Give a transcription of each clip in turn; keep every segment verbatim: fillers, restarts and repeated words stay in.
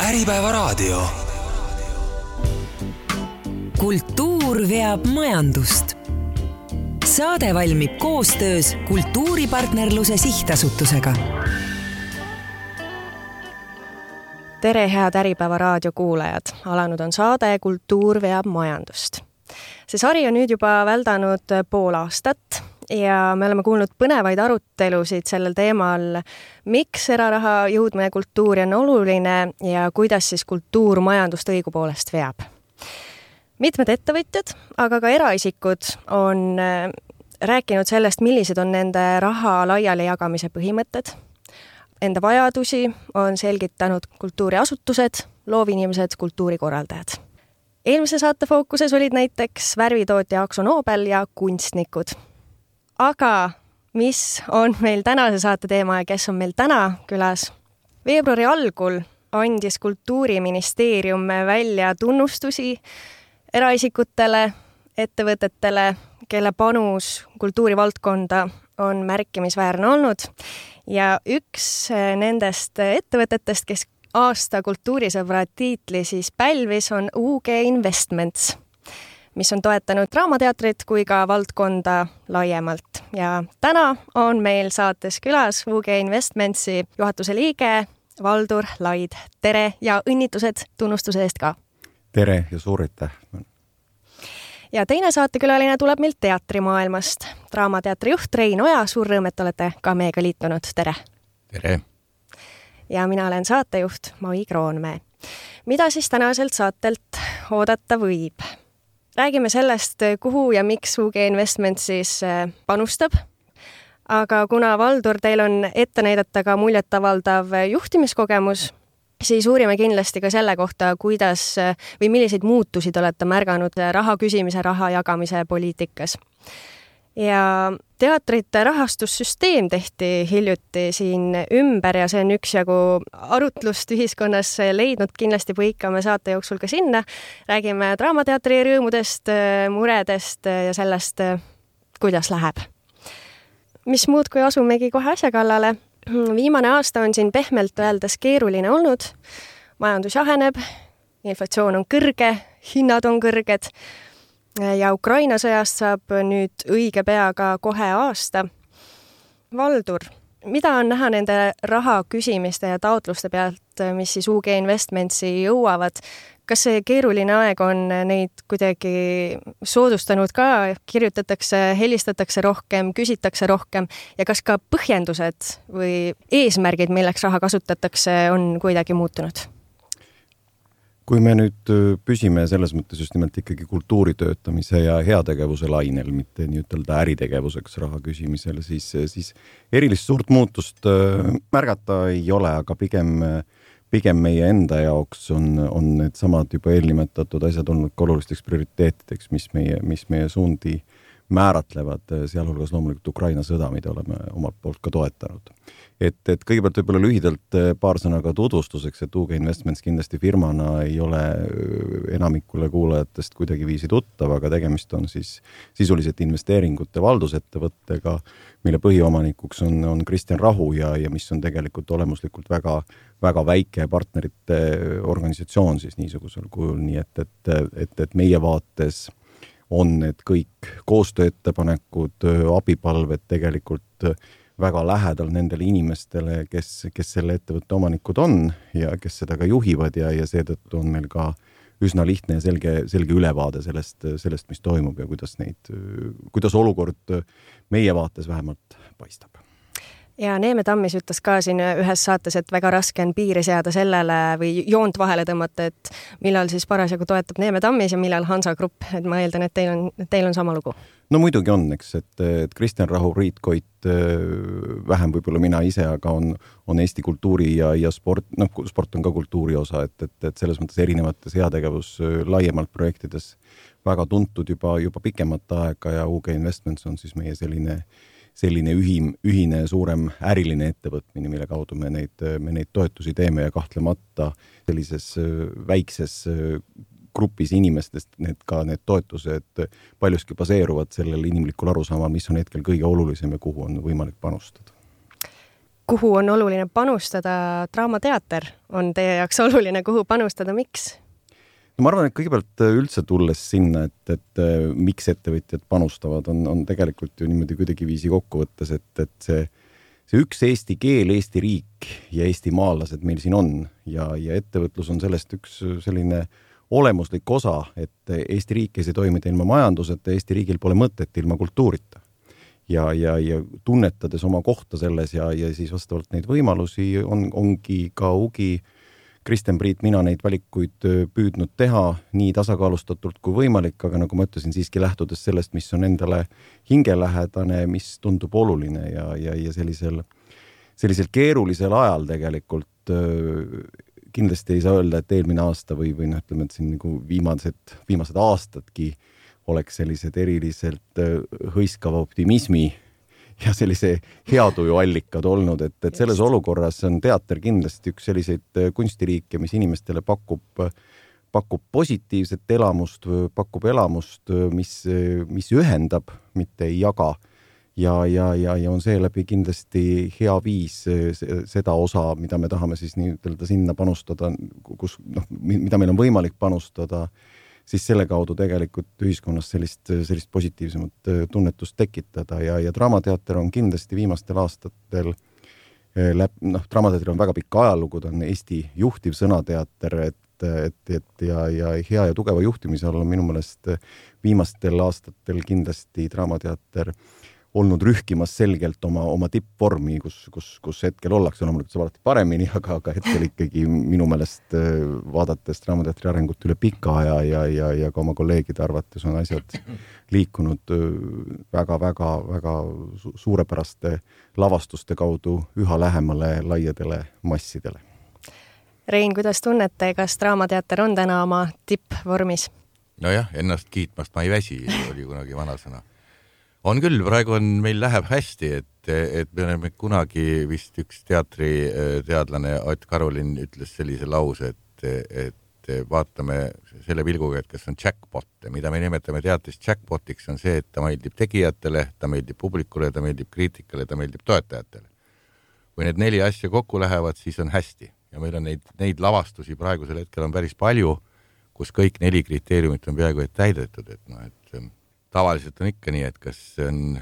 Äripäevaraadio. Kultuur veab majandust. Saade valmib koostöös Kultuuripartnerluse Sihtasutusega. Tere, head Äripäevaraadio kuulajad! Alanud on saade Kultuur veab majandust. See sari on nüüd juba väldanud pool aastat ja me oleme kuulnud põnevaid arutelusid sellel teemal, miks eraraha jõudmine kultuuri on oluline ja kuidas siis kultuur majandust õigupoolest veab. Mitmed ettevõtjad, aga ka eraisikud on rääkinud sellest, millised on nende raha laiali jagamise põhimõtted. Enda vajadusi on selgitanud kultuuriasutused, loovinimesed, kultuurikorraldajad. Eelmise saate fookuses olid näiteks värvitootja Akzo Nobel ja kunstnikud. Aga mis on meil tänase saate teema ja kes on meil täna külas? Veebruari algul andis Kultuuriministeerium välja tunnustusi eraisikutele, ettevõtetele, kelle panus kultuurivaldkonda on märkimisväärne olnud. Ja üks nendest ettevõtetest, kes aasta kultuurisõbra tiitli siis pälvis, on U G Investments, mis on toetanud Draamateatrit kui ka valdkonda laiemalt. Ja täna on meil saates külas U G Investmentsi juhatuse liige Valdur Laid. Tere ja õnnitlused tunnustuse eest ka! Tere ja suur aitäh! Ja teine saatekülaline tuleb meilt teatrimaailmast. Draamateatri juht Rein Oja, suur rõõm, et olete ka meiega liitunud. Tere! Tere! Ja mina olen saatejuht Mai Kroonmäe. Mida siis tänaselt saatelt oodata võib? Räägime sellest, kuhu ja miks U G Investment siis panustab. Aga kuna Valdur, teil on ette näidata ka muljetavaldav juhtimiskogemus, siis uurime kindlasti ka selle kohta, kuidas või milliseid muutusi te olete märganud raha küsimise, raha jagamise poliitikas. Ja teatrite rahastussüsteem tehti hiljuti siin ümber ja see on üksjagu arutlust ühiskonnas leidnud kindlasti põikame saate jooksul ka sinna. Räägime Draamateatri rõõmudest, muredest ja sellest, kuidas läheb. Mis muud, kui asumegi kohe asja kallale. Viimane aasta on siin pehmelt öeldes keeruline olnud. Majandus jaheneb, inflatsioon on kõrge, hinnad on kõrged ja Ukraina sõjast saab nüüd õige peaga kohe aasta. Valdur, mida on näha nende raha küsimiste ja taotluste pealt, mis siis U G Investmentsi jõuavad? Kas see keeruline aeg on neid kuidagi soodustanud ka? Kirjutatakse, helistatakse rohkem, küsitakse rohkem ja kas ka põhjendused või eesmärgid, milleks raha kasutatakse, on kuidagi muutunud? Kui me nüüd püsime selles mõttes just nimelt ikkagi kultuuri töötamise ja heategevuse lainel, mitte nii ütelda äritegevuseks raha küsimisel, siis, siis erilist suurt muutust märgata ei ole, aga pigem, pigem meie enda jaoks on, on need samad juba eelnimetatud asjad olnud olulisteks prioriteetideks, mis meie, mis meie suundi määratlevad, sealhulgas loomulikult Ukraina sõda, mida oleme omalt poolt ka toetanud. Et, et kõigepealt võib-olla lühidalt paar sõnaga tutvustuseks, et U G Investments kindlasti firmana ei ole enamikule kuulajatest kuidagi viisi tuttav, aga tegemist on siis sisuliselt investeeringute valdusettevõttega, mille põhiomanikuks on, on Kristjan Rahu ja, ja mis on tegelikult olemuslikult väga, väga väike partnerite organisatsioon siis niisugusel kujul, nii et, et, et, et meie vaates on need kõik koostööettepanekud, abipalved tegelikult väga lähedal nendele inimestele, kes, kes selle ettevõtte omanikud on ja kes seda ka juhivad ja, ja seetõttu on meil ka üsna lihtne ja selge, selge ülevaade sellest, sellest, mis toimub ja kuidas, neid, kuidas olukord meie vaates vähemalt paistab. Ja Neeme Tammis ütles ka siin ühes saates, et väga raske on piiri seada sellele või joont vahele tõmmata, et millal siis parasjagu toetab Neeme Tammis ja millal Hansa Grupp. Et ma eeldan, et teil on, teil on sama lugu. No muidugi on, eks, et, et Kristjan Rahu, Riit Koit, vähem võib-olla mina ise, aga on, on Eesti kultuuri ja, ja sport, noh, sport on ka kultuuri osa, et, et, et selles mõttes erinevates heategevus laiemalt projektides väga tuntud juba, juba pikemat aega ja U G Investments on siis meie selline selline ühim, ühine suurem äriline ettevõtmine, mille kaudu me neid, me neid toetusi teeme ja kahtlemata sellises väikses grupis inimestest need ka need toetused paljuski baseeruvad sellel inimlikul arusaamal, mis on hetkel kõige olulisem ja kuhu on võimalik panustada. kuhu on oluline panustada, Draamateater on teie jaoks oluline, kuhu panustada, miks? No ma arvan, et kõigepealt üldse tulles sinna, et, et miks ettevõtjad panustavad, on, on tegelikult ju niimoodi kuidagi viisi kokku võttes, et, et see, see üks eesti keel, Eesti riik ja Eesti maalased meil siin on ja, ja ettevõtlus on sellest üks selline olemuslik osa, et Eesti riik ei saa toimida ilma majanduseta, Eesti riigil pole mõtet ilma kultuurita. Ja, ja, ja tunnetades oma kohta selles ja, ja siis vastavalt neid võimalusi on, ongi ka ugi Kristen Priit, mina neid valikuid püüdnud teha nii tasakaalustatult kui võimalik, aga nagu ma ütlesin, siiski lähtudes sellest, mis on endale hingelähedane, mis tundub oluline ja, ja, ja sellisel, sellisel keerulisel ajal tegelikult kindlasti ei saa öelda, et eelmine aasta või, või noh, ütleme, et siin nagu viimased, viimased aastadki oleks sellised eriliselt hõiskava optimismi ja sellise heatuju allikad olnud, et, et selles olukorras on teater kindlasti üks selliseid kunstiriike, mis inimestele pakub, pakub positiivset elamust, pakub elamust, mis, mis ühendab, mitte ei jaga. Ja, ja, ja, ja on seeläbi kindlasti hea viis seda osa, mida me tahame siis nii ütelda sinna panustada, kus, noh, mida meil on võimalik panustada, siis selle kaudu tegelikult ühiskonnas sellist, sellist positiivsemat tunnetust tekitada ja, ja Draamateater on kindlasti viimastel aastatel läb, noh, Draamateater on väga pikk ajalugu, ta on Eesti juhtiv sõnateater, et, et, et ja, ja hea ja tugeva juhtimise all on minu meelest viimastel aastatel kindlasti Draamateater olnud rühkimas selgelt oma, oma tippvormi, kus, kus, kus hetkel ollakse, loomulikult saab alati paremini, aga, aga hetkel ikkagi minu meelest vaadates Draamateatri arengut üle pika aja ja, ja, ja ka oma kolleegide arvates on asjad liikunud väga, väga, väga suurepäraste lavastuste kaudu üha lähemale laiadele massidele. Rein, kuidas tunnete, kas Draamateater on täna oma tippvormis? Nojah, ennast kiitmast ma ei väsi, oli kunagi vanasõna. On küll, praegu on, meil läheb hästi, et, et me oleme kunagi vist üks teatri teadlane Ott Karolin ütles sellise lause, et, et vaatame selle vilguga, et kas on jackpot. Mida me nimetame teatris jackpotiks on see, et ta meeldib tegijatele, ta meeldib publikule, ta meeldib kriitikale, ta meeldib toetajatele. Kui need neli asja kokku lähevad, siis on hästi. Ja meil on neid, neid lavastusi praegusel hetkel on päris palju, kus kõik neli kriteeriumit on peaaegu et täidetud, et noh, et tavaliselt on ikka nii, et kas on,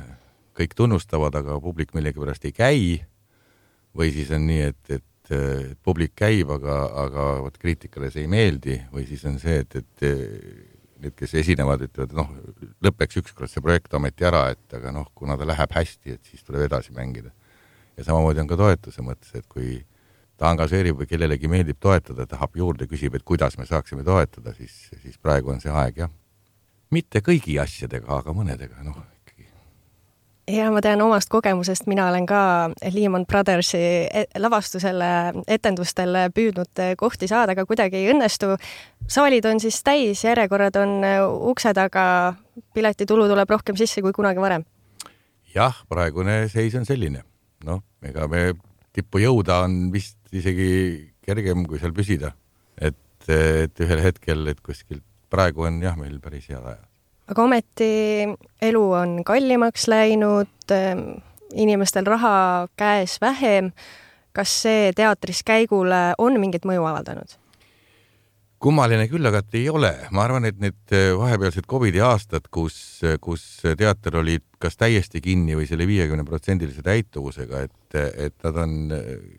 kõik tunnustavad, aga publik millegipärast ei käi või siis on nii, et, et, et publik käib, aga, aga võt, kriitikale see ei meeldi või siis on see, et, et need, kes esinevad, ütlevad, noh, lõpeks ükskord see projekt ometi ära, et aga noh, kuna ta läheb hästi, et siis tuleb edasi mängida. Ja samamoodi on ka toetuse mõttes, et kui ta angažeerib või kellelegi meeldib toetada, tahab juurde, küsib, et kuidas me saaksime toetada, siis, siis praegu on see aeg, jah. Mitte kõigi asjadega, aga mõnedega, noh, ikkagi. Ja ma tean omast kogemusest, mina olen ka Lehman Brothersi lavastusele, etendustele püüdnud kohti saada, aga kuidagi ei õnnestu. Saalid on siis täis, järjekorrad on ukse taga, piletitulu tuleb rohkem sisse kui kunagi varem. Jah, praegune seis on selline. Noh, ega me tippu jõuda on vist isegi kergem, kui seal püsida. Et, et ühel hetkel, et kuskilt praegu on jah, meil päris head ajad. Aga ometi elu on kallimaks läinud, inimestel raha käes vähem. Kas see teatris käigule on mingit mõju avaldanud? Kummaline küll, aga ei ole. Ma arvan, et need vahepealsed Covidi aastad, kus, kus teater oli kas täiesti kinni või selle viiekümne protsendilise täituvusega, et, et nad on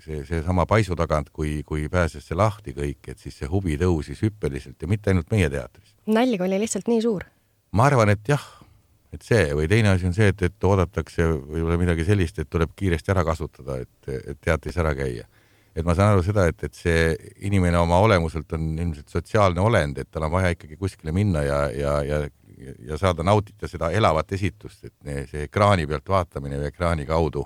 see, see sama paisu tagant, kui, kui pääses see lahti kõik, et siis see huvi tõusis hüppeliselt ja mitte ainult meie teatris. Nälg oli lihtsalt nii suur. Ma arvan, et jah, et see või teine asi on see, et, et oodatakse või midagi sellist, et tuleb kiiresti ära kasutada, et, et teatris ära käia. Et ma saan aru seda, et, et see inimene oma olemuselt on ilmselt sotsiaalne olend, et tal on vaja ikkagi kuskile minna ja, ja, ja, ja saada nautida seda elavat esitust, et see ekraani pealt vaatamine või ekraani kaudu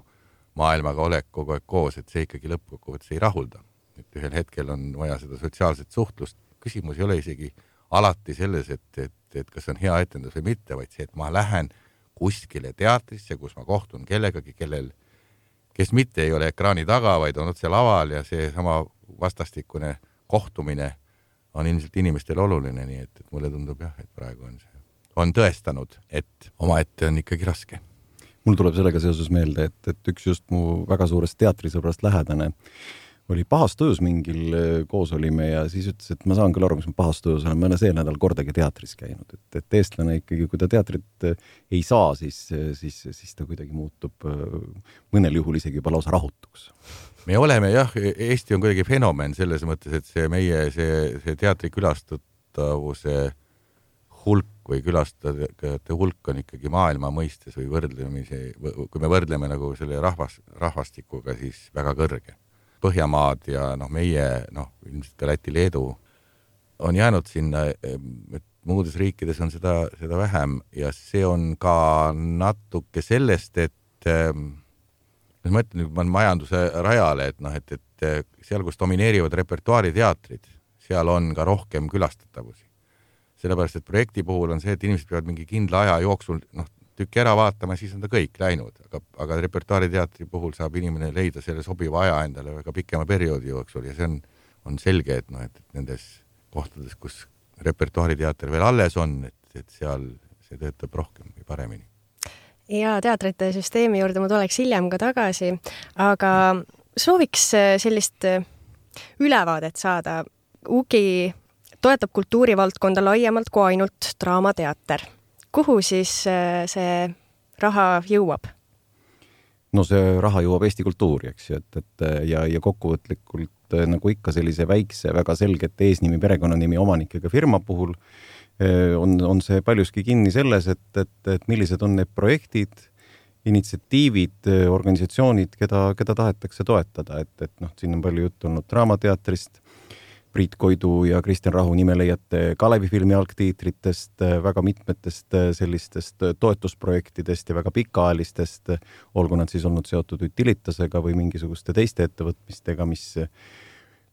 maailmaga olek kogu aeg koos, et see ikkagi lõppkokkuvõttes ei rahulda. Et ühel hetkel on vaja seda sotsiaalset suhtlust. Küsimus ei ole isegi alati selles, et, et, et kas on hea etendus või mitte, vaid see, et ma lähen kuskile teatrisse, kus ma kohtun kellegagi, kellel kes mitte ei ole ekraani taga, vaid on otse laval ja see sama vastastikune kohtumine on ilmselt inimestele oluline, nii et, et mulle tundub jah, et praegu on see on tõestanud, et omaette on ikkagi raske. mul tuleb sellega seoses meelde, et, et üks just mu väga suurest teatrisõbrast lähedane oli pahas tujus mingil koos olime ja siis ütles, et ma saan küll aru, mis ma pahas tujus olen, ma olen see nädal kordagi teatris käinud, et, et eestlane ikkagi, kui ta teatrit ei saa, siis, siis, siis ta kuidagi muutub mõnel juhul isegi juba lausa rahutuks. Me oleme jah, Eesti on kuidagi fenomen selles mõttes, et see meie see, see teatri külastatavuse hulk või külastajate hulk on ikkagi maailma mõistes või võrdlemise, kui me võrdleme nagu selle rahvas, rahvastikuga, siis väga kõrge. Põhjamaad ja noh, meie, noh, ilmselt ka Läti, Leedu on jäänud sinna, et muudes riikides on seda, seda vähem ja see on ka natuke sellest, et ma mõtlen, ma olen majanduse rajale, et noh, et, et seal, kus domineerivad repertuaariteatrid, seal on ka rohkem külastatavusi. Sellepärast, et projekti puhul on see, et inimesed peavad mingi kindla aja jooksul, noh, tükki ära vaatama, siis on ta kõik läinud, aga, aga repertuaariteatri puhul saab inimene leida selle sobiva aja endale väga pikema perioodi jooksul ja see on, on selge, et, no, et, et nendes kohtades, kus repertuaariteater veel alles on, et, et seal see töötab rohkem või paremini. Ja teatrite süsteemi juurde ma tuleks hiljem ka tagasi, aga sooviks sellist ülevaadet saada. U G I toetab kultuurivaldkonda laiemalt kui ainult draamateater. Kuhu siis see raha jõuab? No see raha jõuab Eesti kultuuri, eks ju, et, et ja, ja kokkuvõtlikult nagu ikka sellise väikse, väga selgete eesnimi, perekonnanimi omanikega firma puhul on, on see paljuski kinni selles, et, et, et millised on need projektid, initsiatiivid, organisatsioonid, keda, keda tahetakse toetada, et, et noh, siin on palju juttu olnud draamateatrist, Priit Koidu ja Kristjan Rahu nime leiate Kalevi filmi algtiitritest, väga mitmetest sellistest toetusprojektidest ja väga pikaajalistest, olgu nad siis olnud seotud Utilitasega või mingisuguste teiste ettevõtmistega, mis,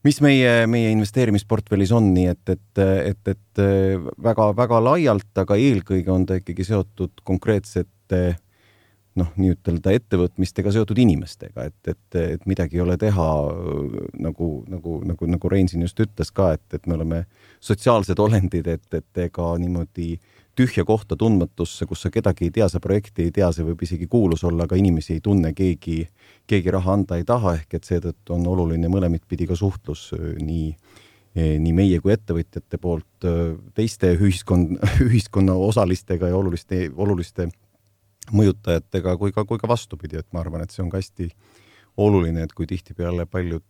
mis meie, meie investeerimisportfellis on, nii et, et, et, et väga, väga laialt, aga eelkõige on ta ikkagi seotud konkreetsete noh, nii ütelda ettevõtmistega seotud inimestega, et, et, et midagi ei ole teha, nagu, nagu, nagu, nagu Rein siin just ütles ka, et, et me oleme sotsiaalsed olendid, et, et ega niimoodi tühja kohta tundmatusse, kus sa kedagi ei tea, sa projekti ei tea, see võib isegi kuulus olla, aga inimesi ei tunne, keegi, keegi raha anda ei taha, ehk et seetõttu on oluline mõlemit pidi ka suhtlus nii, nii meie kui ettevõtjate poolt teiste ühiskond, ühiskonna osalistega ja oluliste, oluliste mõjutajatega kui ka, kui ka vastupidi, et ma arvan, et see on ka hästi oluline, et kui tihtipeale paljud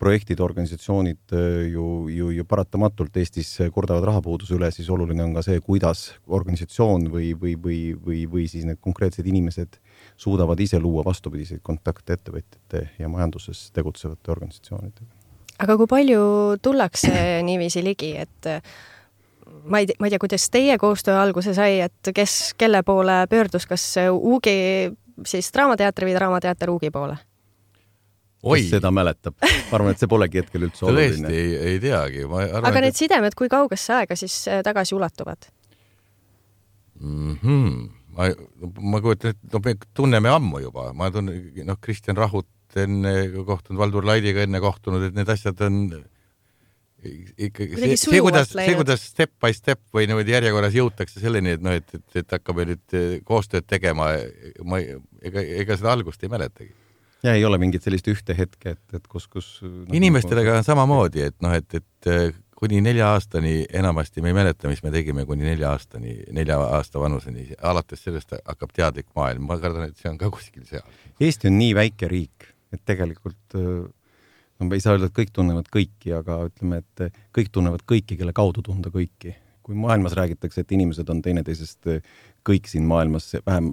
projektid, organisatsioonid ju, ju, ju paratamatult Eestis kordavad rahapuuduse üle, siis oluline on ka see, kuidas organisatsioon või, või, või, või, või siis need konkreetsed inimesed suudavad ise luua vastupidiseid kontakte ettevõtjate ja majanduses tegutsevate organisatsioonidega. Aga kui palju tullakse niiviisi ligi, et ma ei, ma ei tea, kuidas teie koostöö alguse sai, et kes, kelle poole pöördus, kas U G I, siis draamateatri või draamateater U G I poole? Oi. Kes seda mäletab? Ma arvan, et see polegi hetkel üldse oluline. Tõesti, ei, ei teagi. Ma arvan, aga need et... sidemed, kui kaugesse aega siis tagasi ulatuvad? Mm-hmm. Ma, ma kujutan, et no, me tunneme ammu juba. Ma tunnen, noh, Kristjan Rahut enne kohtunud, Valdur Laidiga enne kohtunud, et need asjad on... Ikkagi, see, see, kuidas, see, kuidas step by step või niimoodi järjekorras jõutakse selleni, et, no, et, et, et hakkame nüüd koostööd tegema, ma, ega, ega seda algust ei mäletagi. Ja ei ole mingit sellist ühte hetke, et, et kus... kus no, inimestega on samamoodi, et, no, et, et kuni nelja aastani enamasti me ei mäleta, mis me tegime kuni nelja aastani, nelja aasta vanuseni. Alates sellest hakkab teadlik maailm. Ma kardan, et see on ka kuskil seal. Eesti on nii väike riik, et tegelikult... No, ei saa öelda, et kõik tunnevad kõiki, aga ütleme, et kõik tunnevad kõiki, kelle kaudu tunda kõiki. Kui maailmas räägitakse, et inimesed on teineteisest kõik siin maailmas vähem,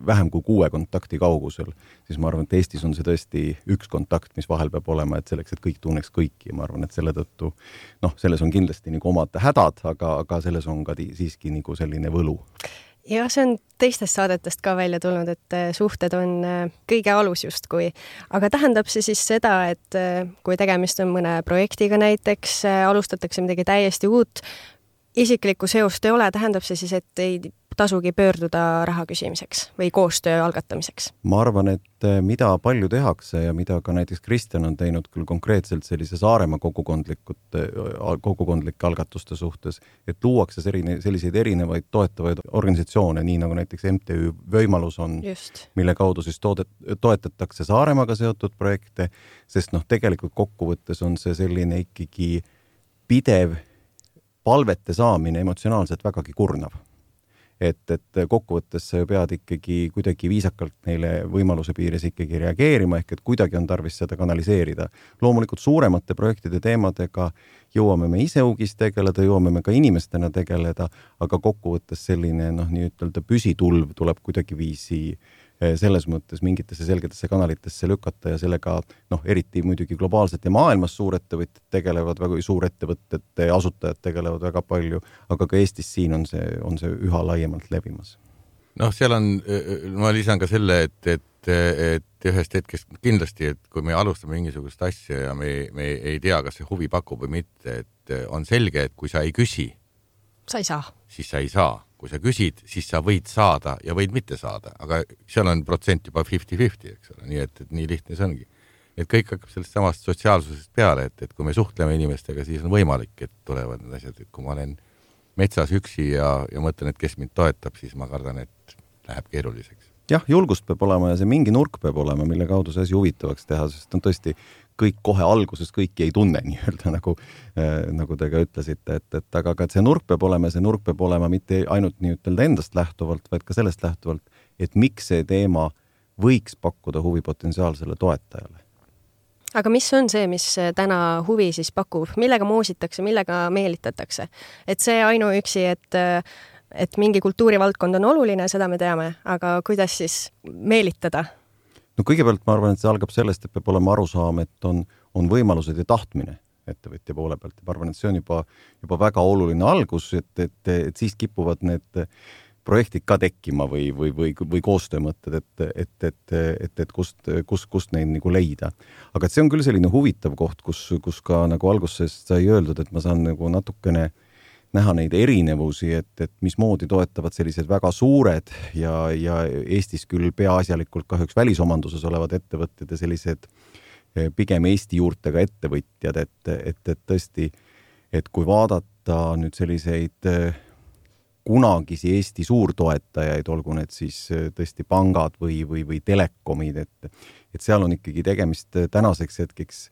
vähem kui kuue kontakti kaugusel, siis ma arvan, et Eestis on see tõesti üks kontakt, mis vahel peab olema, et selleks, et kõik tunneks kõiki. Ma arvan, et selle tõttu, noh, selles on kindlasti nagu omad hädad, aga, aga selles on ka siiski nagu selline võlu. Ja see on teistest saadetest ka välja tulnud, et suhted on kõige alus justkui. Aga tähendab see siis seda, et kui tegemist on mõne projektiga näiteks, alustatakse midagi täiesti uut, isiklikku seost ei ole, tähendab see siis, et ei tasugi pöörduda raha küsimiseks või koostöö algatamiseks? Ma arvan, et mida palju tehakse ja mida ka näiteks Kristjan on teinud küll konkreetselt sellise Saaremaa kogukondlike algatuste suhtes, et luuakse selliseid erinevaid toetavaid organisatsioone, nii nagu näiteks M T Ü Võimalus on, Just. mille kaudu siis toodet, toetatakse Saaremaaga seotud projekte, sest noh, tegelikult kokkuvõttes on see selline ikkagi pidev palvete saamine emotsionaalselt vägagi kurnav. Et, et kokkuvõttes sa pead ikkagi kuidagi viisakalt neile võimaluse piires ikkagi reageerima, ehk et kuidagi on tarvis seda kanaliseerida. Loomulikult suuremate projektide teemadega jõuame me ise ugis tegeleda, jõuame me ka inimestena tegeleda, aga kokkuvõttes selline noh, nii ütelda püsitulv tuleb kuidagi viisi selles mõttes mingitesse selgetesse kanalitesse lükata ja sellega noh, eriti muidugi globaalselt ja maailmas suurettevõtted tegelevad, väga suurettevõtete asutajad tegelevad väga palju, aga ka Eestis siin on see, on see üha laiemalt levimas. Noh, seal on, ma lisan ka selle, et, et, et ühest hetkest kindlasti, et kui me alustame mingisugust asja ja me, me ei tea, kas see huvi pakub või mitte, et on selge, et kui sa ei küsi, sa ei saa. Siis sa ei saa. Kui sa küsid, siis sa võid saada ja võid mitte saada, aga seal on protsent juba viiskümmend viiskümmend, eks ole, nii et, et nii lihtne see ongi. Et kõik hakkab sellest samast sotsiaalsusest peale, et, et kui me suhtleme inimestega, siis on võimalik, et tulevad need asjad, et kui ma olen metsas üksi ja, ja mõtlen, et kes mind toetab, siis ma kardan, et läheb keeruliseks. Jah, julgust peab olema ja see mingi nurk peab olema, mille kaudu see asi huvitavaks teha, sest on tõesti kõik kohe alguses kõiki ei tunne nii-öelda, nagu, äh, nagu te ka ütlesite, et, et aga ka see nurk peab olema, see nurk peab olema mitte ainult nii-ütelda endast lähtuvalt, vaid ka sellest lähtuvalt, et miks see teema võiks pakkuda huvi potentsiaalsele toetajale. Aga mis on see, mis täna huvi siis pakub? Millega moositakse, millega meelitatakse? Et see ainuüksi, et et mingi kultuurivaldkond on oluline, seda me teame, aga kuidas siis meelitada? No kõigepealt ma arvan, et see algab sellest, et peab olema arusaam, et on, on võimalused ja tahtmine ettevõtja poole pealt. Ma arvan, et see on juba, juba väga oluline algus, et, et, et siis kipuvad need projektid ka tekkima või, või, või, või koostöömõtted, et, et, et, et, et kust, kust, kust neid nagu leida. Aga et see on küll selline huvitav koht, kus, kus ka nagu alguses sai öeldud, et ma saan nagu natukene näha neid erinevusi, et, et mismoodi toetavad sellised väga suured ja, ja Eestis küll peaasjalikult kahjuks välisomanduses olevad ettevõtted ja sellised pigem Eesti juurtega ettevõtjad, et, et, et tõesti, et kui vaadata nüüd selliseid kunagisi Eesti suurtoetajaid, olgu need siis tõesti pangad või, või, või telekomid, et, et seal on ikkagi tegemist tänaseks hetkeks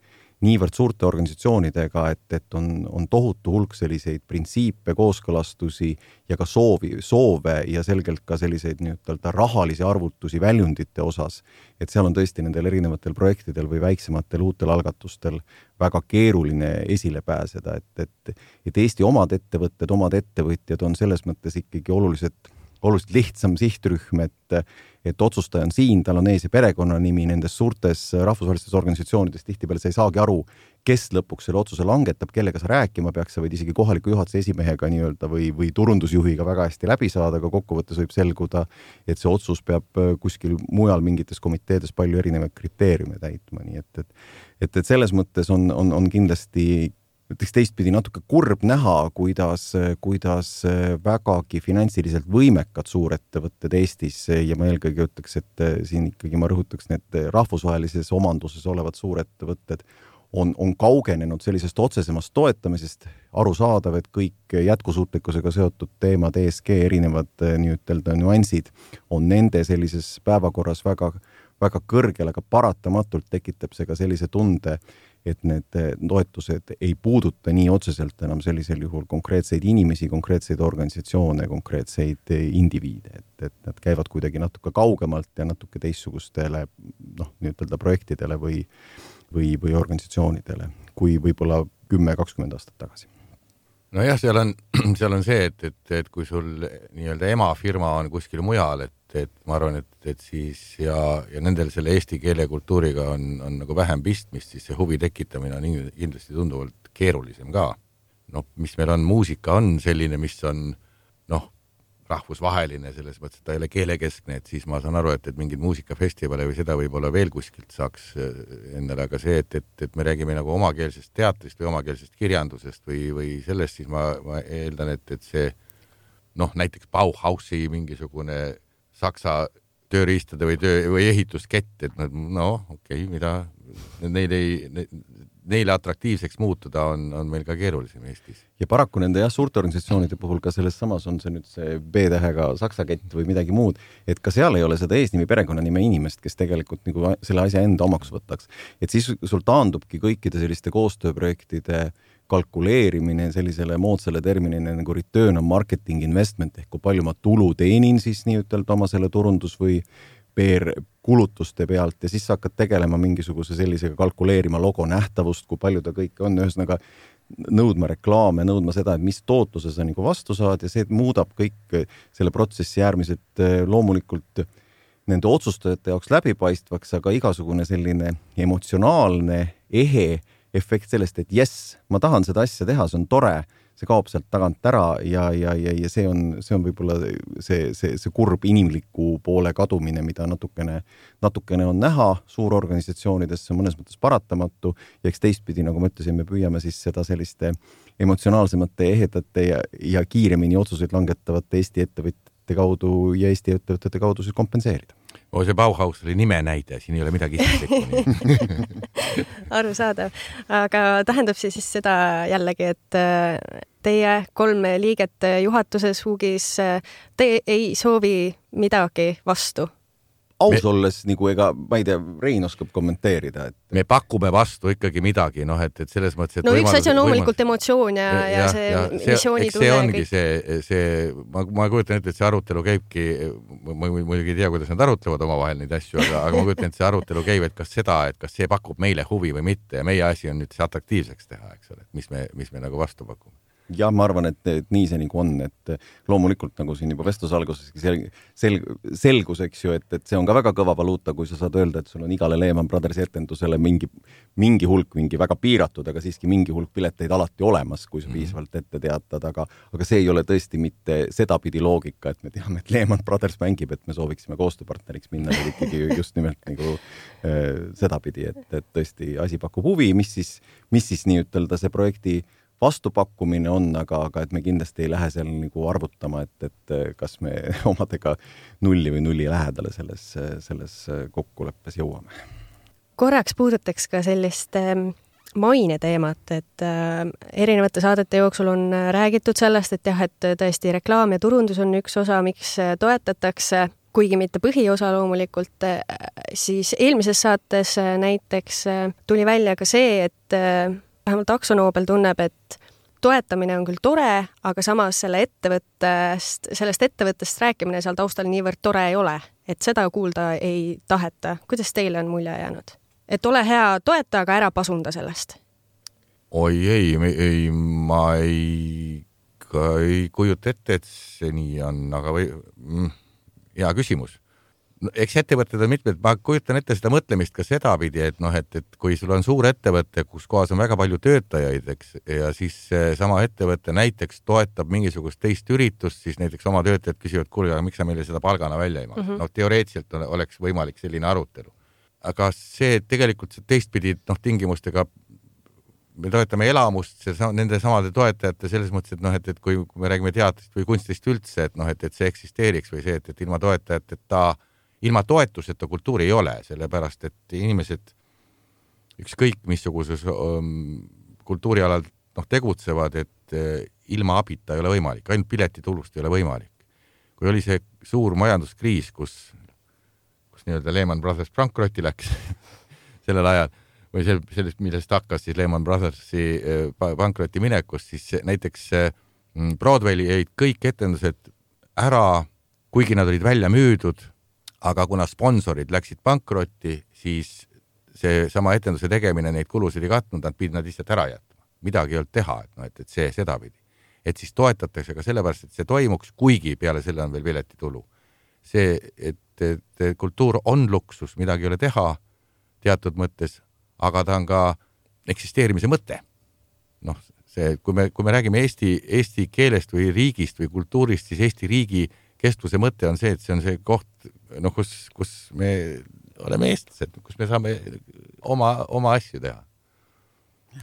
niivõrd suurte organisatsioonidega, et, et on, on tohutu hulk selliseid printsiipe, kooskõlastusi ja ka soovi, soove ja selgelt ka selliseid nii-ütelda rahalisi arvutusi väljundite osas, et seal on tõesti nendel erinevatel projektidel või väiksematel uutel algatustel väga keeruline esile pääseda, et, et, et Eesti omad ettevõtted, omad ettevõtjad on selles mõttes ikkagi oluliselt oluliselt lihtsam sihtrühm, et, et otsustaja on siin, tal on ees ja perekonnanimi nendes suurtes rahvusvahelistes organisatsioonides, tihtipeale sa ei saagi aru, kes lõpuks selle otsuse langetab, kellega sa rääkima peaks, sa võid isegi kohaliku juhatuse esimehega nii-öelda või, või turundusjuhiga väga hästi läbi saada, aga kokkuvõttes võib selguda, et see otsus peab kuskil mujal mingites komiteedes palju erinevaid kriteeriume täitma, nii et, et, et, et selles mõttes on, on, on kindlasti ütleks teistpidi natuke kurb näha, kuidas, kuidas vägagi finantsiliselt võimekad suurettevõtted Eestis ja ma eelkõige ütleks, et siin ikkagi ma rõhutaks need rahvusvahelises omanduses olevad suurettevõtted on, on kaugenenud sellisest otsesemast toetamisest, arusaadav, et kõik jätkusuutlikkusega seotud teemad, E S G, erinevad nii-ütelda nüansid on nende sellises päevakorras väga, väga kõrgel, aga paratamatult tekitab see ka sellise tunde, et need toetused ei puuduta nii otseselt enam sellisel juhul konkreetseid inimesi, konkreetseid organisatsioone, konkreetseid indiviide, et, et nad käivad kuidagi natuke kaugemalt ja natuke teissugustele noh, nii-ütelda projektidele või, või, või organisatsioonidele, kui võib-olla kümme kakskümmend aastat tagasi. Nojah, seal on, seal on see, et, et, et kui sul nii-öelda emafirma on kuskil mujal, et, et ma arvan, et, et siis ja, ja nendel selle eesti keele kultuuriga on, on nagu vähem pistmist, siis see huvi tekitamine on kindlasti tunduvalt keerulisem ka. Noh, mis meil on, muusika on selline, mis on noh, rahvusvaheline selles mõttes, et ta ei ole keelekeskne, et siis ma saan aru, et, et mingid muusikafestivale või seda võib-olla veel kuskilt saaks endale, aga see, et, et, et me räägime nagu omakeelsest teatrist või omakeelsest kirjandusest või, või sellest, siis ma, ma eeldan, et, et see noh, näiteks Bauhausi mingisugune saksa tööriistade või, töö, või ehituskett, et nad, no okei, okay, mida neil ei, neile atraktiivseks muutuda on, on meil ka keerulisem Eestis. Ja paraku nende jah, suurte organisatsioonide puhul ka selles samas on see nüüd see B-tähega saksa kett või midagi muud, et ka seal ei ole seda eesnimi perekonnanime inimest, kes tegelikult nagu selle asja enda omaks võtaks. Et siis sul taandubki kõikide selliste koostööprojektide kalkuleerimine sellisele moodsale terminine nagu return on marketing investment ehk kui palju ma tulu teenin siis nii ütelda oma selle turundus või P R kulutuste pealt ja siis sa hakkad tegelema mingisuguse sellisega kalkuleerima logo nähtavust, kui palju ta kõik on, ühesõnaga nõudma reklaame, nõudma seda, et mis tootluse sa nagu vastu saad ja see muudab kõik selle protsessi äärmiselt loomulikult nende otsustajate jaoks läbipaistvaks, aga igasugune selline emotsionaalne, ehe efekt sellest, et jess, ma tahan seda asja teha, see on tore, see kaob sealt tagant ära ja, ja, ja, ja see on, see on võib-olla see, see, see kurb inimliku poole kadumine, mida natukene, natukene on näha suurorganisatsioonides, see on mõnes mõttes paratamatu ja eks teistpidi, nagu ma ütlesin, me püüame siis seda selliste emotsionaalsemate, ehedate ja, ja kiiremini otsuseid langetavate Eesti ettevõtjate kaudu ja Eesti ettevõtjate kaudu siis kompenseerida. O, see Bauhaus oli nime näide, siin ei ole midagi isiklikku. Arusaadav. Aga tähendab see siis seda jällegi, et teie kolm liiget juhatuses Hugis, te ei soovi midagi vastu? Aus me, olles, nagu ega, ma ei tea, Rein oskab kommenteerida. Et... Me pakume vastu ikkagi midagi, noh, et, et selles mõttes... Et no üks asi on loomulikult emotsioon ja, ja, ja see ja, missiooni tunne. See ongi kõik... see, see ma, ma kujutan ette, et see arutelu käibki, ma muidugi ei tea, kuidas nad arutlevad omavahel neid asju, aga, aga ma kujutan, et see arutelu käib, et kas seda, et kas see pakub meile huvi või mitte ja meie asi on nüüd see atraktiivseks teha, eks ole, mis me, mis me nagu vastu pakume. Ja ma arvan, et, et nii see nagu on, et loomulikult nagu siin juba vestluse alguseski sel, sel, selgus, eks ju, et, et see on ka väga kõva valuuta, kui sa saad öelda, et sul on igale Lehman Brothersi etendusele mingi, mingi hulk, mingi väga piiratud, aga siiski mingi hulk pileteid alati olemas, kui sa piisavalt ette teatad, aga, aga see ei ole tõesti mitte sedapidi loogika, et me teame, et Lehman Brothers mängib, et me sooviksime koostööpartneriks minna, et ikkagi just nimelt nagu äh, sedapidi, et, et tõesti asi pakub huvi, mis siis, mis siis nii ütelda see projekti vastupakkumine on, aga, aga et me kindlasti ei lähe seal nagu arvutama, et, et kas me omadega nulli või nulli lähedale selles, selles kokkuleppes jõuame. Korraks puudutaks ka sellist maine teemat, et erinevate saadete jooksul on räägitud sellest, et jah, et tõesti reklaam ja turundus on üks osa, miks toetatakse, kuigi mitte põhiosa loomulikult, siis eelmises saates näiteks tuli välja ka see, et vähemalt Aksonoobel tunneb, et toetamine on küll tore, aga samas selle ettevõttest, sellest ettevõttest rääkimine seal taustal niivõrd tore ei ole, et seda kuulda ei taheta. Kuidas teile on mulje jäänud? Et ole hea toeta, aga ära pasunda sellest. Oi ei, ei ma ei, ei kujuta ette, et see nii on, aga või, mm, hea küsimus. Eks ettevõtted on mitmed, ma kujutan ette seda mõtlemist ka sedapidi, et noh, et, et kui sul on suur ettevõte, kus kohas on väga palju töötajaid, eks, ja siis sama ettevõte näiteks toetab mingisugust teist üritust, siis näiteks oma töötajad küsivad, kuule, aga miks sa meile seda palgana välja ei maksa? Mm -hmm. No teoreetiliselt oleks võimalik selline arutelu. Aga see tegelikult see teistpidi noh, tingimustega me toetame elamust, see, nende samade toetajate selles mõttes, et noh, et, et kui, kui me räägime teatrist või kunstist üldse, et noh, et, et see eksisteeriks või see, et, et ilma toetajateta ilma toetuseta kultuuri ei ole, sellepärast, et inimesed ükskõik missuguses um, kultuurialal noh, tegutsevad, et uh, ilma abita ei ole võimalik, ainult piletitulust ei ole võimalik. Kui oli see suur majanduskriis, kus, kus nii-öelda Lehman Brothers pankrotti läks sellel ajal, või sel, sellest, millest hakkas siis Lehman Brothersi uh, pankrotti minekust, siis näiteks uh, Broadway'li jäid kõik etendused ära, kuigi nad olid välja müüdud, aga kuna sponsorid läksid pankrotti, siis see sama etenduse tegemine neid kulusid ei katnud, nad pidid nad lihtsalt ära jätma. Midagi ei olnud teha, et, no, et, et see sedapidi. Et siis toetatakse ka sellepärast, et see toimuks, kuigi peale selle on veel piletitulu. See, et, et kultuur on luksus, midagi ei ole teha teatud mõttes, aga ta on ka eksisteerimise mõte. Noh, see, kui me, kui me räägime Eesti, Eesti keelest või riigist või kultuurist, siis Eesti riigi kestvuse mõte on see, et see on see koht, no kus, kus me oleme eestlased, kus me saame oma, oma asju teha.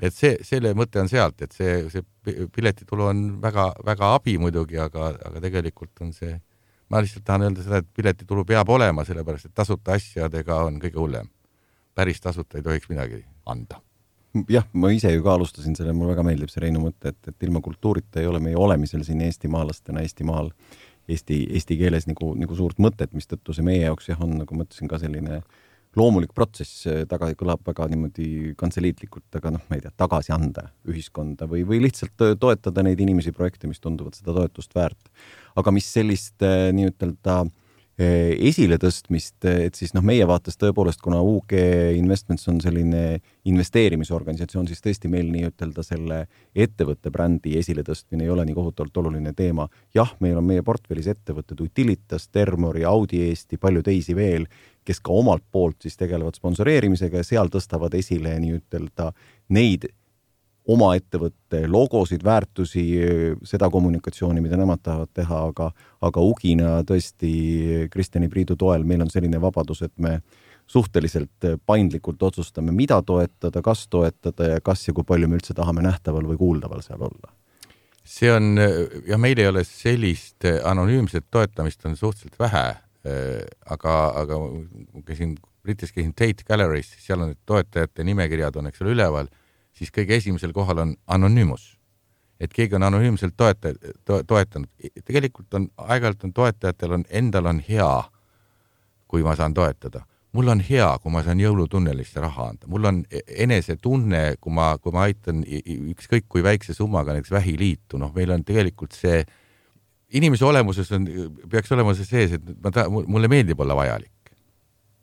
Et see, selle mõte on sealt, et see, see piletitulu on väga, väga abi muidugi, aga, aga tegelikult on see, ma lihtsalt tahan öelda seda, et piletitulu peab olema, sellepärast, et tasuta asjadega on kõige hullem. Päris tasuta ei tohiks midagi anda. Jah, ma ise ju ka alustasin selle, mul väga meeldib see Reinu mõte, et, et ilma kultuurita ei ole meie olemisel siin eestimaalastena Eestimaal Eesti, Eesti keeles nagu, nagu suurt mõtet, mis tõttu see meie jaoks jah, on, nagu mõtlesin, ka selline loomulik protsess, taga kõlab väga niimoodi kantseliitlikult, aga noh, ma ei tea, tagasi anda ühiskonda või, või lihtsalt toetada neid inimesi projekte, mis tunduvad seda toetust väärt. Aga mis sellist nii-ütelda esile tõstmist, et siis noh, meie vaates tõepoolest, kuna U G Investments on selline investeerimisorganisatsioon, siis tõesti meil nii-ütelda selle ettevõtte brändi esile tõstmine ei ole nii kohutavalt oluline teema. Jah, meil on meie portfellis ettevõtted Utilitas, Termori, Audi Eesti, palju teisi veel, kes ka omalt poolt siis tegelevad sponsoreerimisega ja seal tõstavad esile nii-ütelda neid oma ettevõtte logosid, väärtusi, seda kommunikatsiooni, mida nemad tahavad teha, aga, aga Ugina tõesti Kristjani Priidu toel meil on selline vabadus, et me suhteliselt paindlikult otsustame, mida toetada, kas toetada ja kas ja kui palju me üldse tahame nähtaval või kuuldaval seal olla. See on, ja meil ei ole sellist anonüümset toetamist on suhteliselt vähe, aga, aga käisin, Britis käisin Tate Gallery's, seal on toetajate nimekirjad on, eks ole, üleval, siis kõige esimesel kohal on anonüümus. Et keegi on anonüümselt toeta, to, toetanud. Tegelikult on, aeg-ajalt on toetajatel on, endal on hea, kui ma saan toetada. Mul on hea, kui ma saan jõulutunnelisse raha anda. Mul on enese tunne, kui ma, kui ma aitan ükskõik kui väikse summaga näiteks vähiliitu. Noh, meil on tegelikult see, inimese olemuses on, peaks olema see sees, et ma ta, mulle meeldib olla vajalik.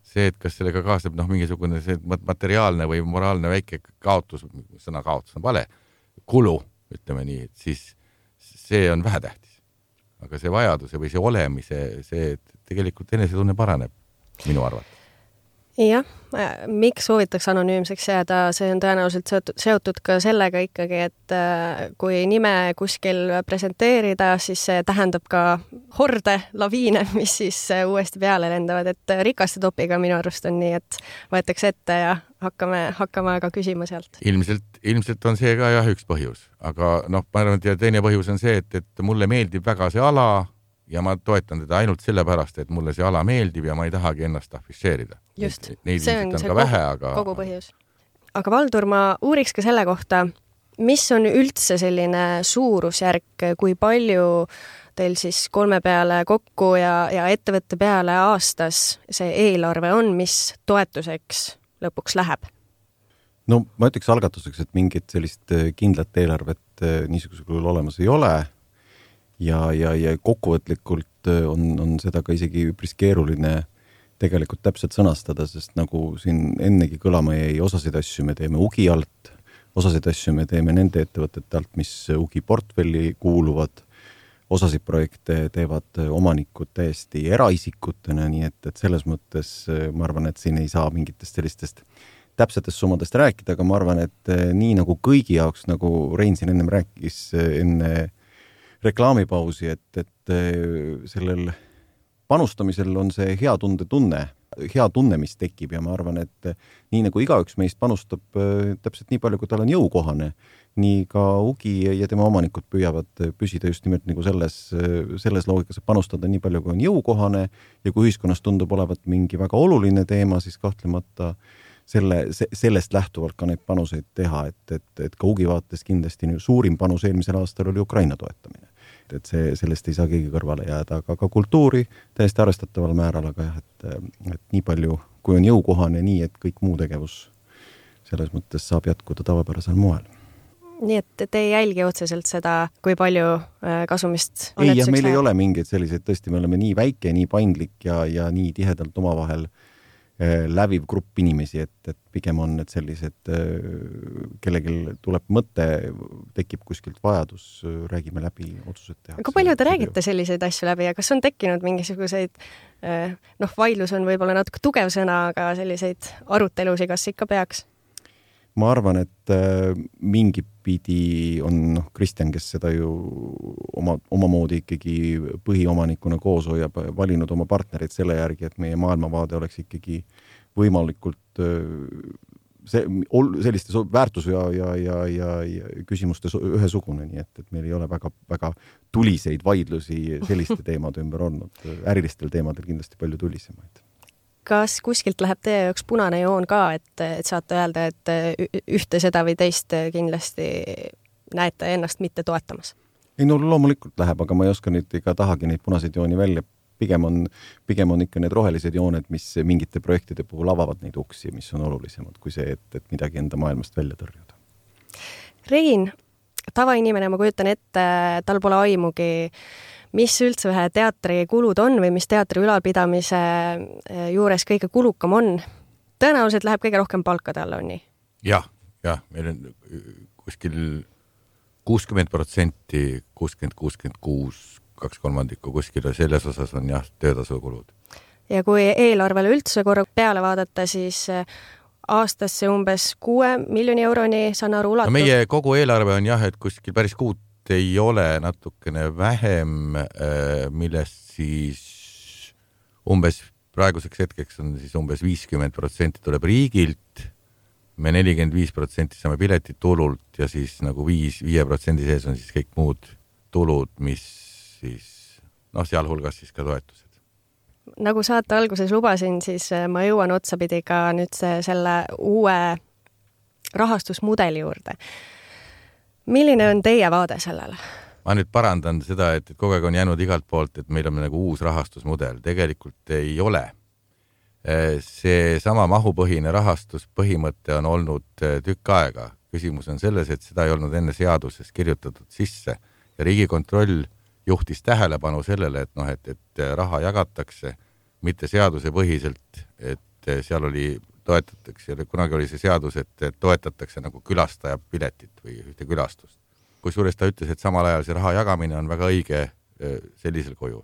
See, et kas sellega kaasneb noh, mingisugune see materiaalne või moraalne väike kaotus, sõna kaotus on vale, kulu, ütleme nii, et siis see on vähetähtis. Aga see vajaduse või see olemise, see tegelikult enesetunne paraneb minu arvates. Jah, miks soovitaks anonüümseks jääda, see on tõenäoliselt seotud, seotud ka sellega ikkagi, et kui nime kuskil presenteerida, siis see tähendab ka horde, laviine, mis siis uuesti peale lendavad, et rikaste topiga minu arust on nii, et võetakse ette ja hakkame, hakkame aga küsima sealt. Ilmselt, ilmselt on see ka jah üks põhjus, aga noh, ma arvan, et teine põhjus on see, et, et mulle meeldib väga see ala ja ma toetan teda ainult sellepärast, et mulle see ala meeldib ja ma ei tahagi ennast afišeerida. Just, neid see on, on see ka kogu, vähe, aga... kogu põhjus. Aga Valdur, ma uuriks ka selle kohta, mis on üldse selline suurusjärk, kui palju teil siis kolme peale kokku ja, ja ettevõtte peale aastas see eelarve on, mis toetuseks lõpuks läheb? No ma ütleks algatuseks, et mingit sellist kindlat eelarvet niisugusel kujul olemas ei ole. Ja, ja, ja kokkuvõtlikult on, on seda ka isegi üpris keeruline tegelikult täpselt sõnastada, sest nagu siin ennegi kõlama jäi, osasid asju me teeme Ugi alt, osasid asju me teeme nende ettevõtete alt, mis Ugi portfelli kuuluvad, osasid projekte teevad omanikud täiesti eraisikutena, nii et, et selles mõttes ma arvan, et siin ei saa mingitest sellistest täpsetest summadest rääkida, aga ma arvan, et nii nagu kõigi jaoks, nagu Rein siin ennem rääkis enne reklaamipausi, et, et sellel panustamisel on see hea tunde tunne, hea tunne, mis tekib ja ma arvan, et nii nagu igaüks meist panustab täpselt nii palju, kui tal on jõukohane, nii ka Ugi ja tema omanikud püüavad püsida just nimelt nagu selles, selles loogikas, et panustada nii palju, kui on jõukohane ja kui ühiskonnas tundub olevat mingi väga oluline teema, siis kahtlemata selle, sellest lähtuvalt ka neid panuseid teha, et, et, et ka Ugi vaates kindlasti suurim panus eelmisel aastal oli Ukraina toetamine. Et see, sellest ei saa keegi kõrvale jääda, aga ka kultuuri täiesti arvestataval määral, aga jah, et, et nii palju, kui on jõukohane, nii et kõik muu tegevus selles mõttes saab jätkuda tavapärasel moel. Nii et te ei jälgi otseselt seda, kui palju kasumist on ei, jah, meil ei ole mingeid selliseid, tõesti, me oleme nii väike, nii paindlik ja, ja nii tihedalt omavahel läviv grupp inimesi, et, et pigem on need sellised, kellelgi tuleb mõte, tekib kuskilt vajadus, räägime läbi, otsused teha. Aga palju te räägite selliseid asju läbi ja kas on tekkinud mingisuguseid, noh, vaidlus on võib-olla natuke tugev sõna, aga selliseid arutelusi kas ikka peaks? ma arvan, et mingi pidi on noh, Kristjan, kes seda ju oma, oma moodi ikkagi põhiomanikuna koos hoiab, valinud oma partnerid selle järgi, et meie maailmavaade oleks ikkagi võimalikult see, selliste väärtus- ja, ja, ja, ja, ja küsimuste ühesugune, nii et, et meil ei ole väga, väga tuliseid vaidlusi selliste teemade ümber olnud. Ärilistel teemadel kindlasti palju tulisemaid. Kas kuskilt läheb teie jaoks punane joon ka, et, et saate öelda, et ühte seda või teist kindlasti näete ennast mitte toetamas? Ei, no loomulikult läheb, aga ma ei oska nüüd ega tahagi neid punaseid jooni välja. Pigem on, pigem on ikka need rohelised jooned, mis mingite projektide puhul avavad neid uksi, mis on olulisemad kui see, et, et midagi enda maailmast välja tõrjuda. Rein, tavainimene, ma kujutan ette, tal pole aimugi, mis üldse ühe teatri kulud on või mis teatri ülalpidamise juures kõige kulukam on. Tõenäoliselt läheb kõige rohkem palkade alla, on nii? Jah, jah, meil on kuskil kuuskümmend protsenti, kuuskümmend, kuuskümmend kuus kaks kolmandikku kuskil ja selles osas on jah, töötasukulud. Ja kui eelarvele üldse korra peale vaadata, siis aastasse umbes kuue miljoni euroni saan aru ulatub. No meie kogu eelarve on jah, et kuskil päris kuut ei ole natukene vähem, millest siis umbes praeguseks hetkeks on siis umbes viiskümmend protsenti tuleb riigilt, me nelikümmend viis protsenti saame piletit tulult ja siis nagu viis, viie protsendi sees on siis kõik muud tulud, mis siis, noh, sealhulgas siis ka toetused. Nagu saate alguses lubasin, siis ma jõuan otsapidi ka nüüd see, selle uue rahastusmudeli juurde. Milline on teie vaade sellele? Ma nüüd parandan seda, et, et kogu aeg on jäänud igalt poolt, et meil on nagu uus rahastusmudel. Tegelikult ei ole. See sama mahupõhine rahastuspõhimõte on olnud tükk aega. Küsimus on selles, et seda ei olnud enne seaduses kirjutatud sisse ja Riigikontroll juhtis tähelepanu sellele, et, noh, et, et raha jagatakse mitte seaduse põhiselt, et seal oli toetatakse, kunagi oli see seadus, et toetatakse nagu külastaja piletit või ühte külastust. Kusjuures ta ütles, et samal ajal see raha jagamine on väga õige sellisel kujul.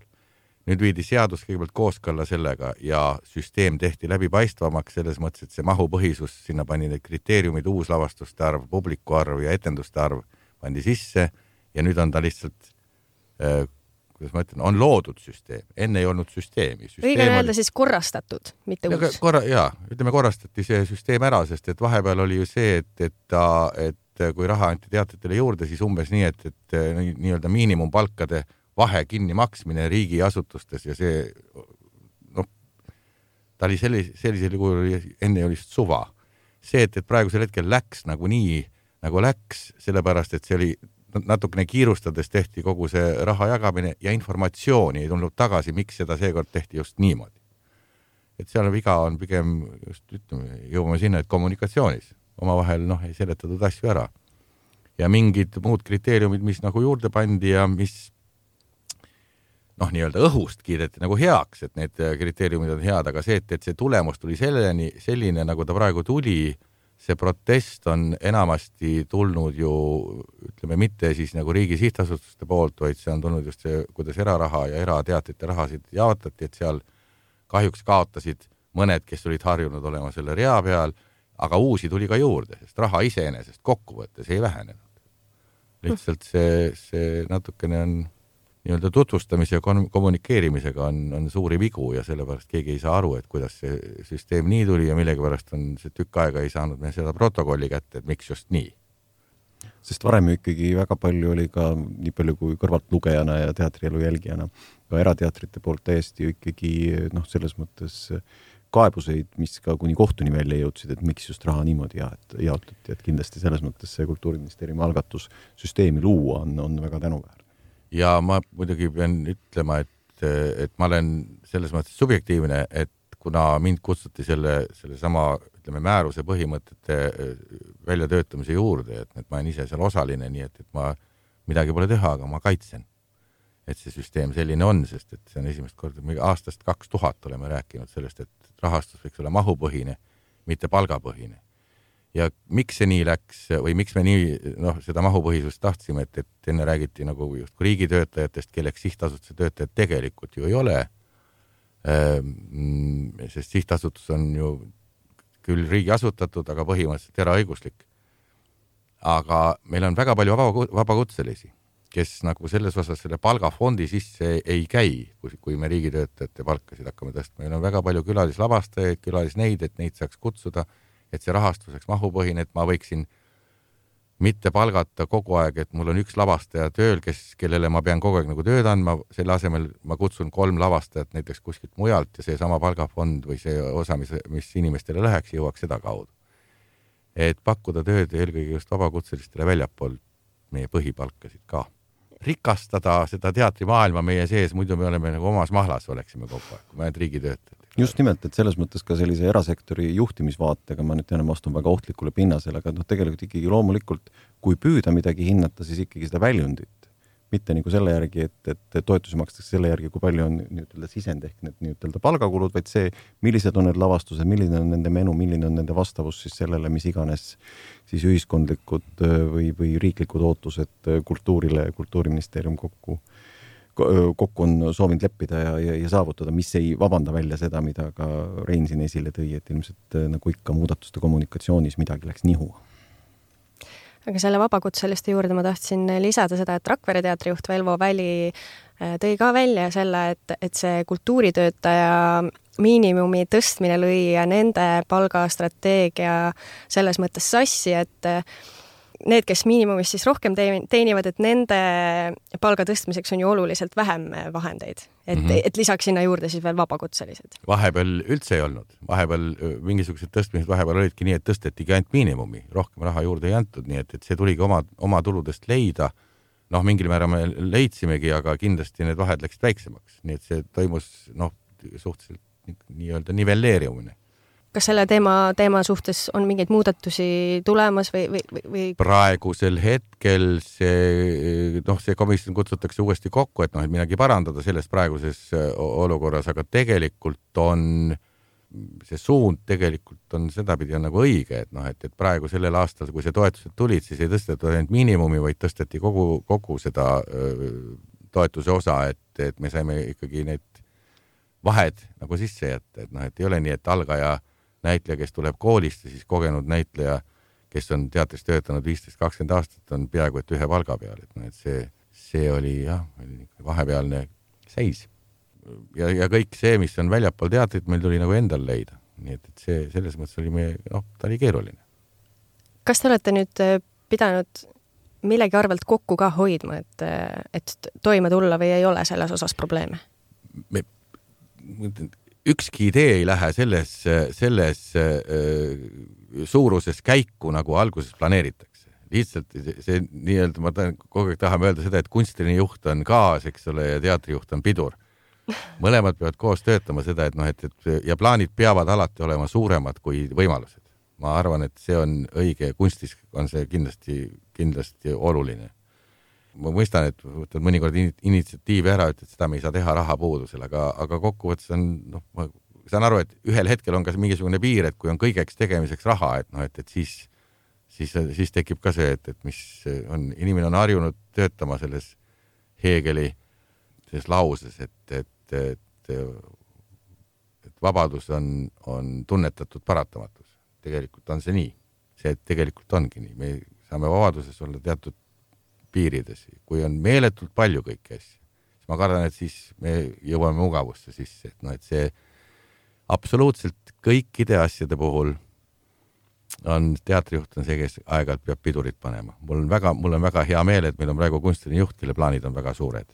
Nüüd viidi seadus kõigepealt kooskõlla sellega ja süsteem tehti läbipaistvamaks selles mõttes, et see mahupõhisus, sinna pani need kriteeriumid, uuslavastuste arv, publiku arv ja etenduste arv pandi sisse ja nüüd on ta lihtsalt kuidas ma ütlen, on loodud süsteem. Enne ei olnud süsteemi. Süsteem Õige öelda oli... siis korrastatud, mitte uus. Korra, jaa, ütleme korrastati see süsteem ära, sest et vahepeal oli ju see, et, et, ta, et kui raha anti teatritele juurde, siis umbes nii, et, et nii-öelda miinimumpalkade vahe kinni maksmine riigiasutustes ja see, noh, ta oli sellise, sellisel juhul enne oli suva. See, et, et praegusel hetkel läks nagu nii, nagu läks, sellepärast, et see oli natukene kiirustades tehti kogu see raha jagamine ja informatsiooni ei tulnud tagasi, miks seda seekord tehti just niimoodi. Et seal viga on pigem, just ütleme, jõuame sinna, et kommunikatsioonis omavahel noh, ei seletatud asju ära. Ja mingid muud kriteeriumid, mis nagu juurde pandi ja mis noh, nii-öelda õhust kiideti nagu heaks, et need kriteeriumid on head, aga see, et, et see tulemus tuli selleni, selline, nagu ta praegu tuli, see protest on enamasti tulnud ju, ütleme, mitte siis nagu riigi sihtasutuste poolt, vaid see on tulnud just see, kuidas eraraha ja erateatrite rahasid jaotati, et seal kahjuks kaotasid mõned, kes olid harjunud olema selle rea peal, aga uusi tuli ka juurde, sest raha iseenesest kokkuvõttes ei vähenenud. Lihtsalt see, see natukene on nii-öelda tutvustamise ja kommunikeerimisega on, on suuri vigu ja sellepärast keegi ei saa aru, et kuidas see süsteem nii tuli ja millegipärast on see tükk aega ei saanud me seda protokolli kätte, et miks just nii. Sest varem ikkagi väga palju oli ka nii palju kui kõrvalt lugejana ja teatrielu jälgijana ka erateatrite poolt täiesti ikkagi noh, selles mõttes kaebuseid, mis ka kuni kohtuni välja jõudsid, et miks just raha niimoodi jaotati, et kindlasti selles mõttes see Kultuuriministeeriumi algatus süsteemi luua on, on väga tänuväärne. Ja ma muidugi pean ütlema, et, et ma olen selles mõttes subjektiivne, et kuna mind kutsuti selle, selle sama ütleme, määruse põhimõtete väljatöötamise juurde, et, et ma olen ise seal osaline, nii et, et ma midagi pole teha, aga ma kaitsen, et see süsteem selline on, sest et see on esimest korda, aastast kaks tuhat oleme rääkinud sellest, et rahastus võiks olla mahupõhine, mitte palgapõhine. Ja miks see nii läks või miks me nii noh, seda mahupõhisust tahtsime, et, et enne räägiti nagu just riigitöötajatest, kelleks sihtasutuse töötajad tegelikult ju ei ole. Sest sihtasutus on ju küll riigi asutatud, aga põhimõtteliselt eraõiguslik. Aga meil on väga palju vaba, vabakutselisi, kes nagu selles osas selle palgafondi sisse ei käi, kui me riigitöötajate palkasid hakkame tõstma. Meil on väga palju külalislavastajaid, külalisneid, et neid saaks kutsuda, et see rahastuseks mahupõhine, et ma võiksin mitte palgata kogu aeg, et mul on üks lavastaja tööl, kes, kellele ma pean kogu aeg nagu tööd andma, selle asemel ma kutsun kolm lavastajat näiteks kuskilt mujalt ja see sama palgafond või see osa, mis, mis inimestele läheks, jõuaks seda kaudu. Et pakkuda tööd eelkõige just vabakutselistele väljapool meie põhipalkasid ka. Rikastada seda teatrimaailma meie sees, muidu me oleme nagu omas mahlas oleksime kogu aeg, kui me oleme riigitöötajad. Just nimelt, et selles mõttes ka sellise erasektori juhtimisvaatega ma nüüd tean vastun väga ohtlikule pinnasele, aga no tegelikult ikkagi loomulikult, kui püüda midagi hinnata, siis ikkagi seda väljundit. Mitte nagu selle järgi, et, et toetusi makstakse selle järgi, kui palju on nii-ütelda sisend ehk need nii-ütelda palgakulud, vaid see, millised on need lavastused, milline on nende menu, milline on nende vastavus siis sellele, mis iganes siis ühiskondlikud või, või riiklikud ootused kultuurile, kultuuriministeerium kokku kokku on soovinud leppida ja, ja, ja saavutada, mis ei vabanda välja seda, mida ka Rein siin esile tõi, et ilmselt nagu ikka muudatuste kommunikatsioonis midagi läks nihu. Aga selle vabakutseliste juurde ma tahtsin lisada seda, et Rakvere teatrijuht Velvo Väli tõi ka välja selle, et, et see kultuuritöötaja miinimumi tõstmine lõi ja nende palgastrateegia selles mõttes sassi, et need, kes miinimumist siis rohkem teenivad, et nende palga tõstmiseks on ju oluliselt vähem vahendeid. Et, mm -hmm. et lisaks sinna juurde siis veel vabakutselised. Vahepeal üldse ei olnud. Vahepeal mingisugused tõstmised vahepeal olidki nii, et tõstetigi ainult miinimumi. Rohkem raha juurde ei antud, nii et, et see tuligi oma, oma tuludest leida. Noh, mingil määral me leidsimegi, aga kindlasti need vahed läksid väiksemaks. Nii et see toimus noh, suhteliselt nii-öelda nivelleeriumine. Kas selle teema, teema suhtes on mingeid muudatusi tulemas või, või, või? Praegusel hetkel see, noh, see komisjon kutsutakse uuesti kokku, et noh, et midagi parandada selles praeguses olukorras, aga tegelikult on see suund tegelikult on sedapidi on nagu õige, et noh, et, et praegu sellel aastal, kui see toetused tulid, siis ei tõstetud ainult miinimumi, vaid tõsteti kogu, kogu seda öö, toetuse osa, et, et me saime ikkagi need vahed nagu sisse jätta, et noh, et ei ole nii, et algaja näitleja, kes tuleb koolist ja siis kogenud näitleja, kes on teatris töötanud viisteist kakskümmend aastat, on peaaegu et ühe palga peal. Et no, et see, see oli jah, vahepealne seis. Ja, ja kõik see, mis on väljapool teatrit, meil tuli nagu endal leida. Nii et, et see, selles mõttes oli meie, noh, ta oli keeruline. Kas te olete nüüd pidanud millegi arvelt kokku ka hoidma, et, et toime tulla või ei ole selles osas probleeme? Me, ükski idee ei lähe selles, selles suuruses käiku, nagu alguses planeeritakse. Lihtsalt see nii-öelda, ma tahan, kogu aeg tahame öelda seda, et kunstiline juht on gaas, eks ole, ja teatrijuht on pidur. Mõlemad peavad koos töötama seda, et noh, et, et ja plaanid peavad alati olema suuremad kui võimalused. Ma arvan, et see on õige, kunstis on see kindlasti, kindlasti oluline. Ma mõistan, et võtad mõnikord initsiatiivi ära, et seda me ei saa teha rahapuudusel, aga, aga kokkuvõttes on, noh, ma saan aru, et ühel hetkel on ka mingisugune piir, et kui on kõigeks tegemiseks raha, et noh, et, et siis, siis, siis tekib ka see, et, et mis on, inimene on harjunud töötama selles Hegeli selles lauses, et, et, et, et vabadus on, on tunnetatud paratamatus. Tegelikult on see nii. See tegelikult ongi nii. Me saame vabaduses olla teatud piirides. Kui on meeletult palju kõiki asju, siis ma kardan, et siis me jõuame mugavusse sisse. Et no, et see absoluutselt kõikide asjade puhul on teatrijuht on see, kes aeg-ajalt peab pidurit panema. Mul on väga, mul on väga hea meel, et meil on praegu kunstiline juht, kelle plaanid on väga suured.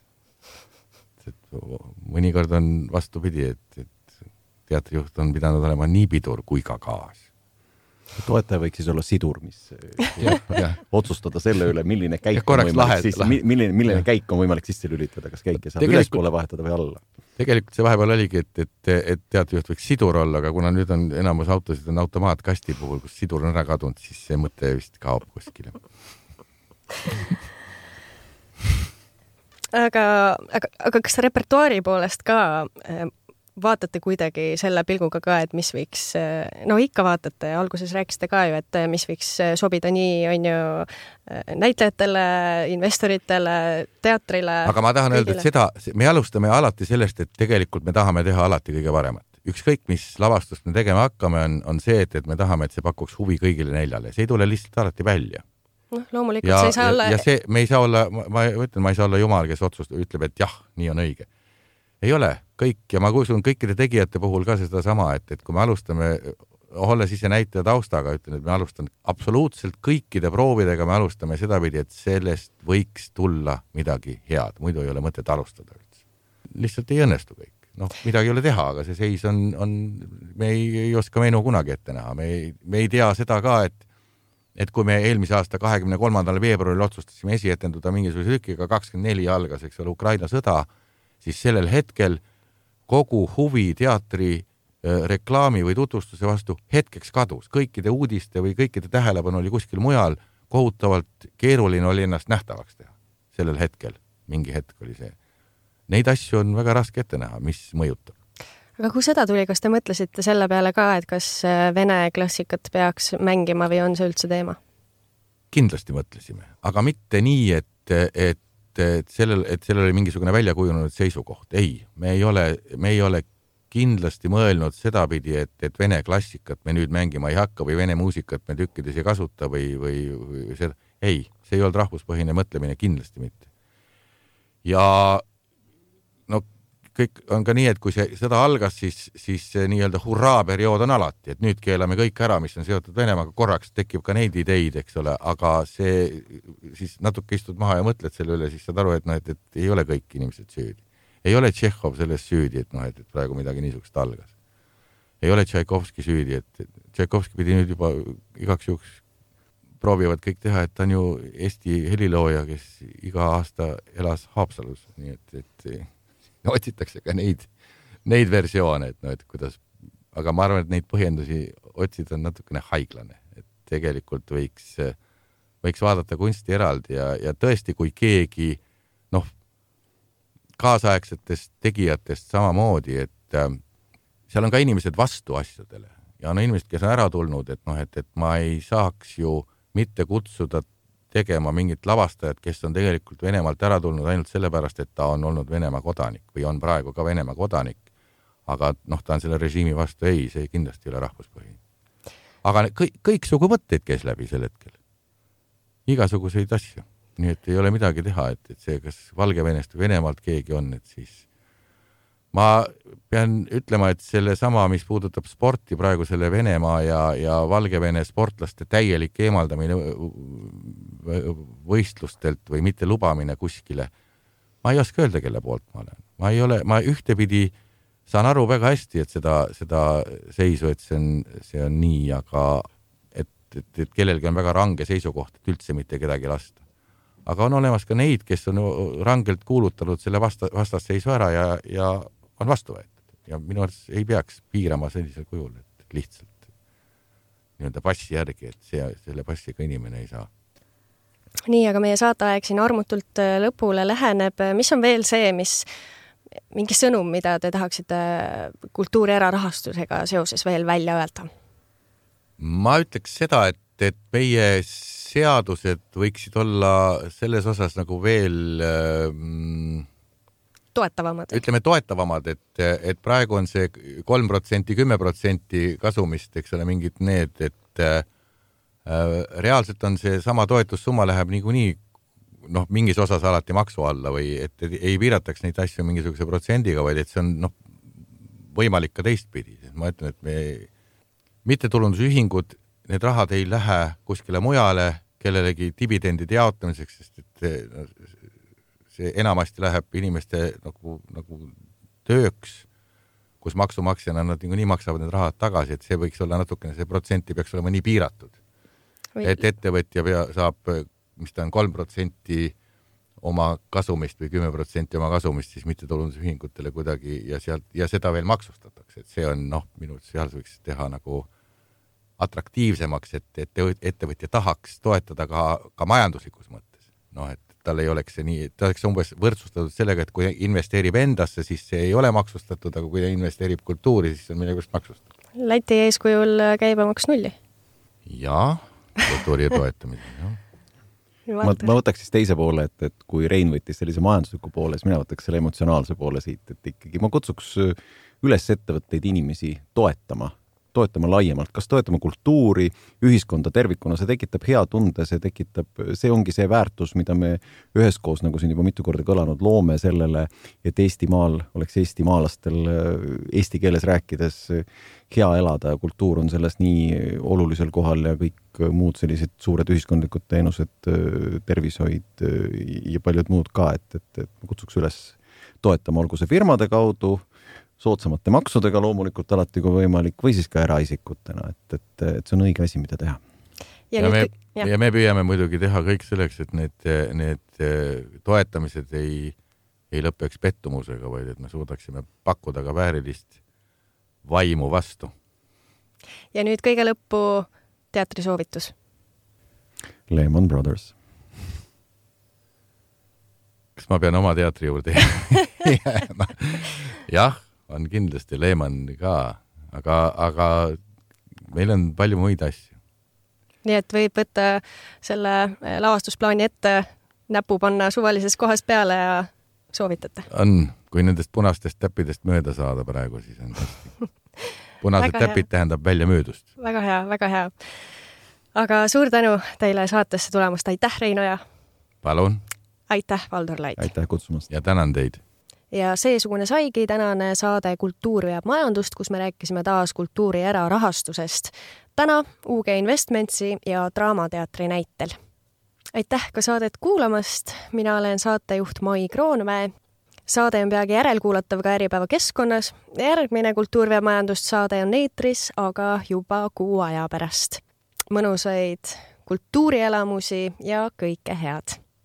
Et mõnikord on vastupidi, et, et teatrijuht on pidanud olema nii pidur kui ka gaas. Toetaja võiks siis olla sidur, mis ja, ja. otsustada selle üle, milline käik on võimalik, lahed, siis, lahed. milline, milline käik on võimalik sisse lülitada, kas käike saab ülespoole vahetada või alla. Tegelikult see vahepeal oligi, et, et, et teatrijuht võiks sidur olla, aga kuna nüüd on enamus autosid on automaatkasti puhul, kus sidur on ära kadunud, siis see mõte vist kaob kuskile. aga, aga, aga kas repertuaari poolest ka vaatate kuidagi selle pilguga ka, et mis võiks, no ikka vaatate, alguses rääkisite ka ju, et mis võiks sobida nii, on ju, näitlejatele, investoritele, teatrile. Aga ma tahan kõigile öelda, et seda, me alustame alati sellest, et tegelikult me tahame teha alati kõige paremat. ükskõik, mis lavastust me tegema hakkame, on, on see, et, et me tahame, et see pakuks huvi kõigile neljale. See ei tule lihtsalt alati välja. noh, loomulikult ja, see ei saa ja, olla... ja see, me ei saa olla, ma, ma ütlen, ma ei saa olla jumal, kes otsust ütleb, et jah, nii on õige. Ei ole kõik, ja ma kuusun kõikide tegijate puhul ka seda sama, et, et kui me alustame, olles ise näitaja taustaga, ütlen, et me alustan absoluutselt kõikide proovidega, me alustame sedapidi, et sellest võiks tulla midagi head, muidu ei ole mõtet alustada üldse. Lihtsalt ei õnnestu kõik. Noh, midagi ei ole teha, aga see seis on, on me ei, ei oska menu kunagi ette näha. Me ei, me ei tea seda ka, et et kui me eelmise aasta kahekümne kolmandal veebruaril otsustasime esietenduda mingisuguse tükiga kakskümmend neli algas, eks ole, Ukraina sõda, siis sellel hetkel kogu huvi teatri reklaami või tutvustuse vastu hetkeks kadus. Kõikide uudiste või kõikide tähelepanu oli kuskil mujal, kohutavalt keeruline oli ennast nähtavaks teha. Sellel hetkel, mingi hetk oli see. Neid asju on väga raske ette näha, mis mõjutab. Aga kui seda tuli, kas te mõtlesite selle peale ka, et kas vene klassikat peaks mängima või on see üldse teema? Kindlasti mõtlesime, aga mitte nii, et, et, et, sellel, et sellel oli mingisugune välja kujunenud seisukoht. Ei, me ei ole, me ei ole kindlasti mõelnud sedapidi, et, et vene klassikat me nüüd mängima ei hakka või vene muusikat me tükkides ei kasuta või, või, või seda. Ei, see ei olnud rahvuspõhine mõtlemine, kindlasti mitte. Ja no kõik on ka nii, et kui see sõda algas, siis, siis see nii-öelda hurraa periood on alati, et nüüd keelame kõik ära, mis on seotud Venemaaga, korraks tekib ka neid ideid, eks ole, aga see siis natuke istud maha ja mõtled selle üle, siis saad aru, et, no, et, et ei ole kõik inimesed süüdi. Ei ole Tšehhov selles süüdi, et, no, et, et praegu midagi niisugust algas. Ei ole Tšaikovski süüdi, et Tšaikovski pidi nüüd juba igaks juhuks proovivad kõik teha, et ta on ju Eesti helilooja, kes iga aasta elas Haapsalus, nii et, et otsitakse ka neid, neid versioone, et, no, et kuidas, aga ma arvan, et neid põhjendusi otsida on natukene haiglane, et tegelikult võiks, võiks vaadata kunsti eraldi ja, ja tõesti, kui keegi, noh, kaasaegsetest tegijatest samamoodi, et äh, seal on ka inimesed vastu asjadele ja on inimesed, kes on ära tulnud, et, noh, et, et ma ei saaks ju mitte kutsuda tegema mingit lavastajat, kes on tegelikult Venemaalt ära tulnud ainult sellepärast, et ta on olnud Venemaa kodanik või on praegu ka Venemaa kodanik. Aga noh, ta on selle režiimi vastu, ei, see kindlasti ei ole rahvuspõhine. Aga kõik, kõiksugu mõtteid käis läbi sel hetkel. Igasuguseid asju. Nii et ei ole midagi teha, et, et see, kas Valgevenest või Venemaalt keegi on, et siis ma pean ütlema, et selle sama, mis puudutab sporti praegu selle Venemaa ja, ja Valgevene sportlaste täielik eemaldamine võistlustelt või mitte lubamine kuskile. Ma ei oska öelda, kelle poolt ma olen. Ma ei ole, ma ühtepidi saan aru väga hästi, et seda, seda seisu, et see on, see on nii, aga et, et, et kellelgi on väga range seisukoht, et üldse mitte kedagi lasta. Aga on olemas ka neid, kes on rangelt kuulutanud selle vasta, vastasseisu ära ja, ja on vastu võetud ja minu arvates ei peaks piirama sellisel kujul, et lihtsalt nii-öelda passi järgi, et see, selle passiga inimene ei saa. Nii, aga meie saateaeg siin armutult lõpule läheneb. Mis on veel see, mis mingi sõnum, mida te tahaksite kultuuri erarahastusega seoses veel välja öelda? Ma ütleks seda, et, et meie seadused võiksid olla selles osas nagu veel mm, toetavamad. Ütleme toetavamad, et, et praegu on see kolm protsenti, kümme protsenti kasumist, eks ole, mingid need, et äh, reaalselt on see sama toetussumma läheb niikuinii noh, mingis osas alati maksu alla või et ei piirataks neid asju mingisuguse protsendiga, vaid et see on noh, võimalik ka teistpidi. Ma ütlen, et me mittetulundusühingud, need rahad ei lähe kuskile mujale, kellelegi dividendide jaotamiseks, sest et see enamasti läheb inimeste nagu, nagu tööks, kus maksumaksjana nad nii maksavad need rahad tagasi, et see võiks olla natukene, see protsenti peaks olema nii piiratud. Või... Et ettevõtja pea, saab, mis ta on kolm protsenti oma kasumist või kümme protsenti oma kasumist, siis mittetulundusühingutele kuidagi ja, sealt, ja seda veel maksustatakse. Et see on, noh, minu seal võiks teha nagu atraktiivsemaks, et, et ettevõtja tahaks toetada ka, ka majanduslikus mõttes. Noh, et tal ei oleks see nii, ta oleks umbes võrdsustatud sellega, et kui investeerib endasse, siis see ei ole maksustatud, aga kui investeerib kultuuri, siis on millegust maksustatud. Läti eeskujul käibemaks nulli? Jaa, kultuuri ja toetamise, jah. Ma, ma võtaks siis teise poole, et, et kui Rein võttis sellise majandusliku poole, siis mina võtaks selle emotsionaalse poole siit, et ikkagi ma kutsuks üles ettevõtteid inimesi toetama, toetama laiemalt, kas toetama kultuuri, ühiskonda tervikuna, see tekitab hea tunde, see tekitab, see ongi see väärtus, mida me üheskoos, nagu siin juba mitu korda kõlanud, loome sellele, et Eestimaal oleks eestimaalastel eesti keeles rääkides hea elada ja kultuur on selles nii olulisel kohal ja kõik muud sellised suured ühiskondlikud teenused, tervishoid ja paljud muud ka, et, et, et kutsuks üles toetama, olgu see firmade kaudu, soodsamate maksudega loomulikult alati kui võimalik või siis ka eraisikutena, et, et, et see on õige asi, mida teha. Ja, ja, me, ja me püüame muidugi teha kõik selleks, et need, need toetamised ei, ei lõpeks pettumusega, vaid et me suudaksime pakkuda ka väärilist vaimu vastu. Ja nüüd kõige lõppu teatrisoovitus. Lehman Brothers. Kas ma pean oma teatri juurde jääma? Jah, on kindlasti Lehman ka, aga, aga meil on palju muid asju. Nii et võib võtta selle lavastusplaani ette, näpu panna suvalises kohas peale ja soovitate. On, kui nendest punastest täppidest mööda saada praegu, siis on hästi. Punased täpid tähendab välja möödust. Väga hea, väga hea. Aga suur tänu teile saatesse tulemast. Aitäh, Reino ja... Palun. Aitäh, Valdur Lait. Aitäh kutsumast. Ja tänan teid. Ja seesugune saigi tänane saade Kultuur veab majandust, kus me rääkisime taas kultuuri erarahastusest. Täna U G Investmentsi ja Draamateatri näitel. Aitäh ka saadet kuulamast. Mina olen saatejuht Mai Kroonmäe. Saade on peagi järelkuulatav ka Äripäeva keskkonnas. Järgmine Kultuur veab majandust saade on eetris, aga juba kuu aja pärast. Mõnusaid kultuurielamusi ja kõike head.